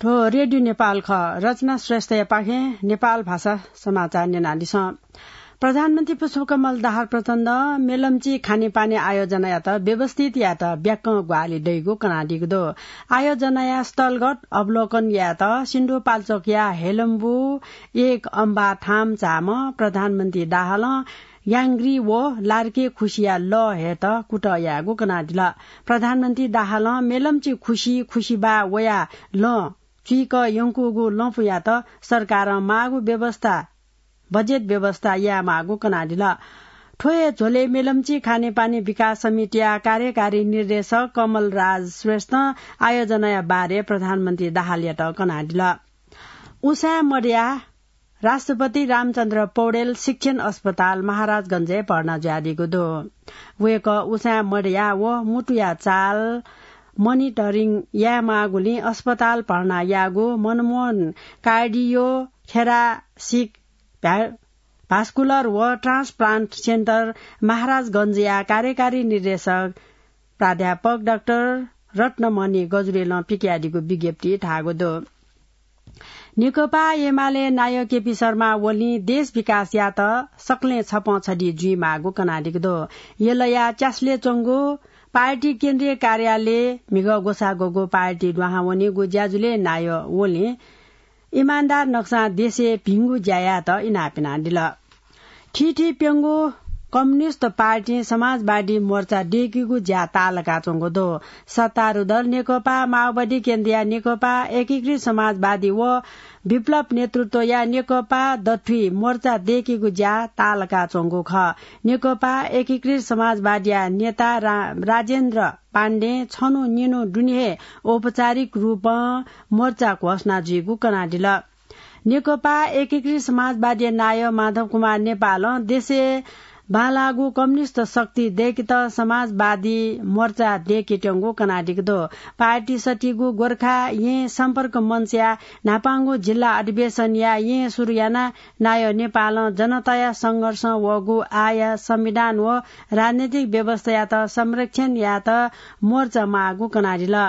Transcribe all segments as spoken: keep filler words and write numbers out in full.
थ्व रेडियो नेपाल खः। रचना श्रेष्ठया पाखें नेपाल भाषा समाचार न्यनादिसँ। प्रधानमन्त्री पुष्पकमल दाहाल प्रचण्ड मेलम्ची खानेपानी आयोजनायात व्यवस्थित यायेत ब्याक्कं ग्वाहालि दइगु कनादीगु दु। आयोजनाया स्थलगत अवलोकन यायेत सिन्धुपाल्चोकया हेलम्बु एक अम्बा थाम चाःम्ह प्रधानमन्त्री दाहालं याङ्ग्री व लार्के खुसिया लः हयेत कुतः यायेगु कनादिल। प्रधानमन्त्री दाहालं मेलम्ची खुसि, खुसिबा वया लँ चुइक यंकूगु लँपुयात सरकारं माःगु व्यवस्था, बजेट व्यवस्था यायेमाःगु कनादिल। थ्व हे झ्वलय् मेलम्ची खानेपानी विकास समितिया कार्यकारी निर्देशक कमलराज श्रेष्ठं आयोजनाया बारे प्रधानमन्त्री दाहालयात कनादिल। उसाँय् मदयाः राष्ट्रपति रामचन्द्र पौडेल शिक्षण अस्पताल महाराजगंजय् भर्ना जुयादीगु दु। वय्कः उसाँय् मदयाः व मुटुया चाल मनिटरिङ यायेमाःगुलिं अस्पताल भर्ना याःगु मनमोहन कार्डियो थोरासिक भ्या-, भास्कुलर व ट्रान्सप्लान्ट सेन्टर महाराजगंजया कार्यकारी निर्देशक प्राध्यापक डाक्टर रत्नमणि गजुरेलं पिकयादीगु विज्ञप्ति धाःगु दु। नेकपा एमाले नायः केपी शर्मा ओलीं देश विकास यात सकलें छपं छधी जुइमाःगु कनादीगु दु। यलया च्यासलय् च्वंगु पार्टी केन्द्रीय कार्यालय म्हिगः ग्वसाः ग्वःगु पार्टी दुहां वनीगु ज्याझ्वलय् नायः ओलीं इमानदार नकसां देशय् भिंगु ज्या यायेत इनाप यानादिल। थीथी प्यंगू कम्युनिस्ट पार्टीं समाजवादी मोर्चा दय्केगु ज्या ताःलाकाच्वंगु दु। सत्तारूढ दल नेकपा माओवादी केन्द्रया नेकपा एकीकृत समाजवादी व विप्लव नेतृत्वया नेकपा दथुइ मोर्चा दय्केगु ज्या ताःलाकाच्वंगु खः। नेकपा एकीकृत समाजवादीया नेता रा-, राजेन्द्र पाण्डें छन्हु निन्हु दुने हे औपचारिक रूपं मोर्चा घोषणा जुइगु कनादिल। नेकपा एकीकृत समाजवादीया नायः माधव कुमार नेपालं देशय् बांलाःगु कम्युनिस्ट शक्ति दय्केत समाजवादी मोर्चा दय्केत्यंगु कनादीगु दु। पार्टी सत्तीगु गोर्खा येँ सम्पर्क मञ्चया न्हापांगु जिल्ला अधिवेशनया येँ सुरु यानाः नायः नेपालं जनताया संघर्षं वःगु आःया संविधान व राजनैतिक व्यवस्थायात संरक्षण यायेत मोर्चा माःगु कनादिल।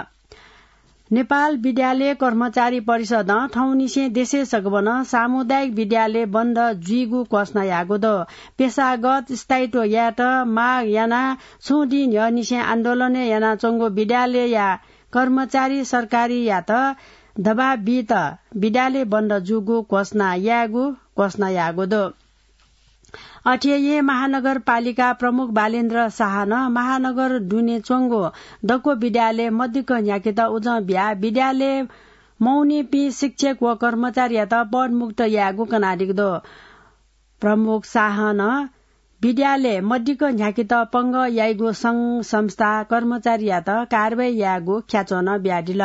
नेपाल विद्यालय कर्मचारी परिषदं थौंनिसें देशय् सगबनं सामुदायिक विद्यालय बन्द जुइगु घोषणा याःगु दु। पेशागत स्थायित्व यायेत माग यानाः छुं दिं न्ह्यःनिसें आन्दोलनय् यानाच्वंगु विद्यालयया कर्मचारी सरकारयात दबाब बीत विद्यालय बन्द जूगु घोषणा यायेगु घोषणा याःगु दु। अथे हे महानगरपालिका प्रमुख बालेन्द्र शाहनं महानगर दुने च्वंगु दक्व विद्यालय मदिक्क न्ह्याकेत उजं बियाः विद्यालय मवनीपिं शिक्षक व कर्मचारीयात पदमुक्त यायेगु कनादीगु दु। प्रमुख शाहनं विद्यालय मदिक्क न्ह्याकेत पंगः याइगु संघ संस्था कर्मचारीयात कारवाही यायेगु ख्याच्वः नं बियादिल।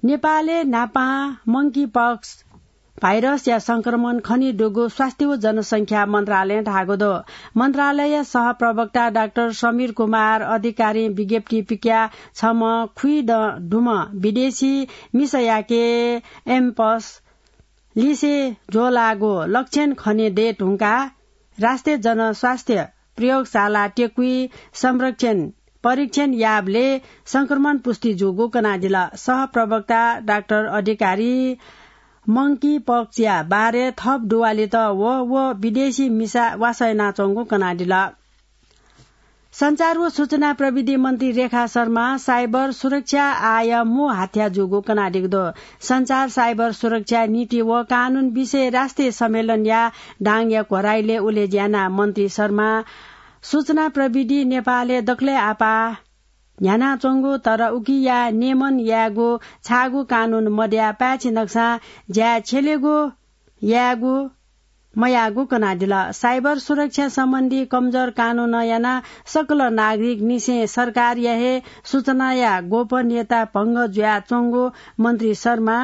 नेपालय् न्हापां मंकी पक्स भाइरसया संक्रमण खनेदुगु स्वास्थ्य व जनसंख्या मन्त्रालयं धाःगु दु। मन्त्रालयया सहप्रवक्ता डाक्टर समीर कुमार अधिकारीं विज्ञप्ति पिकयाः छम्ह खुइदँ दुम्ह विदेशी मिसायाके एम्पस लिसे ज्वःलाःगु लक्षण खने दये धुंकाः राष्ट्रिय जनस्वास्थ्य प्रयोगशाला टेकुइ संरक्षण परीक्षण याःबलय् संक्रमण पुष्टि जूगु कनादिल। सहप्रवक्ता डाक्टर अधिकारी मंकी पक्सया बारे थप दुवालित व, व विदेशी मिसा वासः यानाच्वंगु कनादिल। सञ्चार व सूचना प्रविधि मन्त्री रेखा शर्मा साइबर सुरक्षा आःया मू हाथ्या जूगु कनादीगु दु। सञ्चार साइबर सुरक्षा नीति व कानून विषय राष्ट्रिय सम्मेलनया दाङया घोराइलय् उलेज्या यानाः मन्त्री शर्मा सूचना प्रविधि नेपालय् दकलय् आपाः न्ह्यानाच्वंगु, तर उकिया नियमन यायेगु छाःगु कानून मदयाः पाय्छि नकसां ज्याय् छ्यलेगु यायेगु मयाःगु कनादिल। साइबर सुरक्षा सम्बन्धी कमजोर कानूनं यानाः सकल नागरिकनिसें सरकारया हे सूचनाया गोपनीयता भंग जुयाच्वंगु मन्त्री शर्मा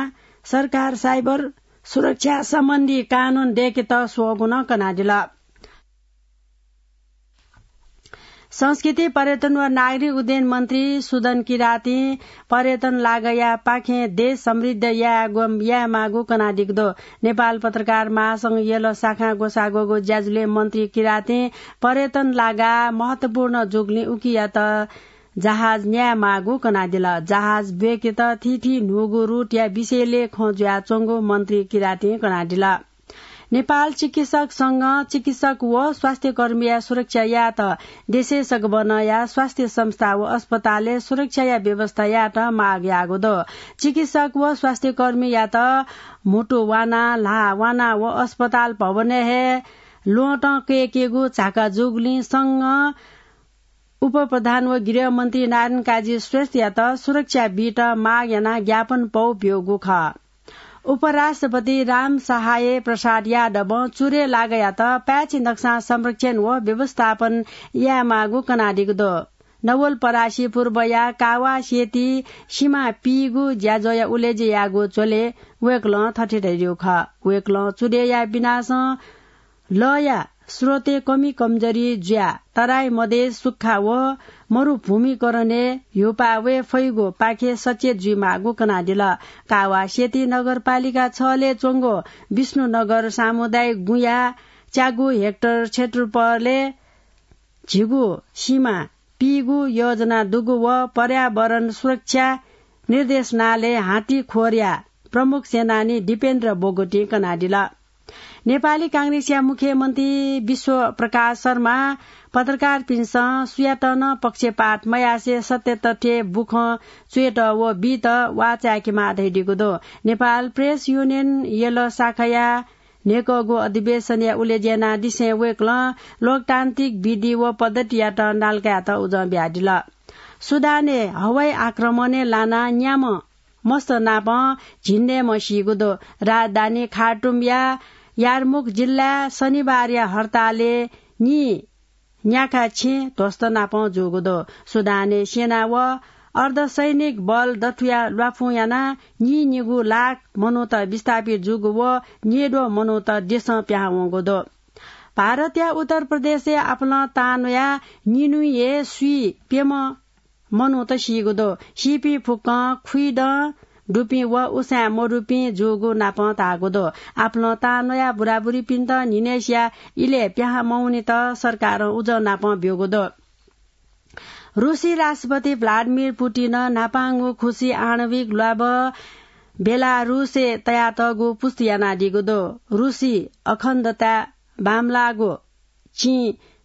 सरकार साइबर सुरक्षा सम्बन्धी कानून दय्केत स्वःगु नं कनादिल। संस्कृति, पर्यटन व नागरिक उड्डयन मन्त्री सुदन किरातीं पर्यटन लागाया पाखें देश समृद्ध यायेगु, यायेमाःगु कनादीगु दु। नेपाल पत्रकार महासंघ यल शाखां ग्वसाः ग्वःगु ज्याझ्वलय् मन्त्री किरातीं पर्यटन लागा महत्वपूर्ण जूगुलिं उकियात जहाज न्यायेमाःगु कनादिल। जहाज ब्वय्केत थीथी न्हूगु रुटया विषयलय् खँ जुयाच्वंगु मन्त्री किरातिं कनादिल। नेपाल चिकित्सक संघं चिकित्सक व स्वास्थ्यकर्मीया सुरक्षा यायेत देशय् सकभनया स्वास्थ्य संस्था व अस्पतालय् सुरक्षाया व्यवस्था यायेत माग याःगु दु। चिकित्सक व स्वास्थ्यकर्मीयात म्हुतु वाना, ल्हाः वाना व अस्पताल भवनय् हे ल्वहँतं कय्केगु झाका जूगुलिं संघं उपप्रधान व गृहमन्त्री नारायण काजी श्रेष्ठयात सुरक्षा बीत माग यानाः ज्ञापन पौ ब्यूगु खः। उपराष्ट्रपति राम सहाय प्रसाद यादवं चुरे लागयात पाय्छि नक्सां संरक्षण व व्यवस्थापन यायेमाःगु कनादीगु दु। नवलपरासी पूर्वया कावासेती सिमा पीगु ज्याझ्वःया उलेज्या याःगु झ्वलय् वय्कलं थथे धयादीगु खः। वय्कलं चुरेया विनाशं लःया स्रोतय् कमी कमजोरी जुयाः तराई मधेस सुक्खा व मरुभूमिकरणय् ह्युपाः वये फइगु पाखे सचेत जुइमाःगु कनादिल। कावासेती नगरपालिका छलय् च्वंगु विष्णुनगर सामुदायिक गुँया च्यागू हेक्टर क्षेत्रफलय् झिगू सिमा पीगु योजना दुगु व पर्यावरण सुरक्षा निर्देशनालय हाथीखोरया प्रमुख सेनानी दिपेन्द्र बोगटीं कनादिल। नेपाली कांग्रेसया मुख्यमन्त्री विश्व प्रकाश शर्मा पत्रकारपिन्सं सुयातं नं पक्षपात मयासे सत्य तथ्य बुखँ च्वयेत व बीत वाः चाय्केमाः धयादीगु दु। नेपाल प्रेस युनियन यल शाखाया न्हय्कःगु अधिवेशनया उलेज्या यानादिसें वय्कलं लोकतान्त्रिक विधि व पद्धतियात नाल्कायेत उजं बियादिल। सुदानय् हवाई आक्रमणय् लानाः न्याम्ह मस्त नापं झिंनय्म्ह सीगु दु। राजधानी खार्टुमया यारमुख जिल्लाय् शनिबारया हडतालय् नीन्याखा छेँ ध्वस्त नापं जूगु दु। सुदानय् सेना व अर्धसैनिक बल दथुया ल्वाफुं यानाः नीनिगू लाख मनूत विस्थापित जूगु व न्येद्वः मनूत देशं पिहां वंगु दु। भारतया उत्तर प्रदेशय् आपालं तांन्वयाः निन्हुइ हे स्वीप्यम्ह मनूत सीगु दु। सीपिं फुक्कं खुइदँ दुपिं व उसाँय् मदुपिं जूगु नापं धाःगु दु। आपालं तांन्वयाः बुराबुरीपिन्त न्हिनय्सिया इलय् पिहां मवनीत सरकारं उजं नापं ब्यूगु दु। रुसी राष्ट्रपति भ्लादिमिर पुतिनं न्हापांगु खुसी आणविक ल्वाभः बेलारुसय् तयातःगु पुष्टि यानादीगु दु। रुसी अखण्डता बांमलाःगु चिं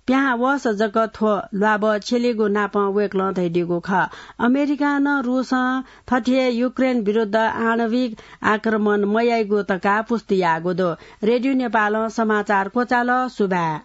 पिहां वःसा जक थ्व ल्वाभः छ्यलीगु नापं वय्कलं धयादीगु खः। अमेरिकां नं रुसं थथे हे युक्रेन विरुद्ध आणविक आक्रमण मयाइगु धकाः पुष्टि याःगु दु। रेडियो नेपालं समाचार क्वचाल। सुभाय्।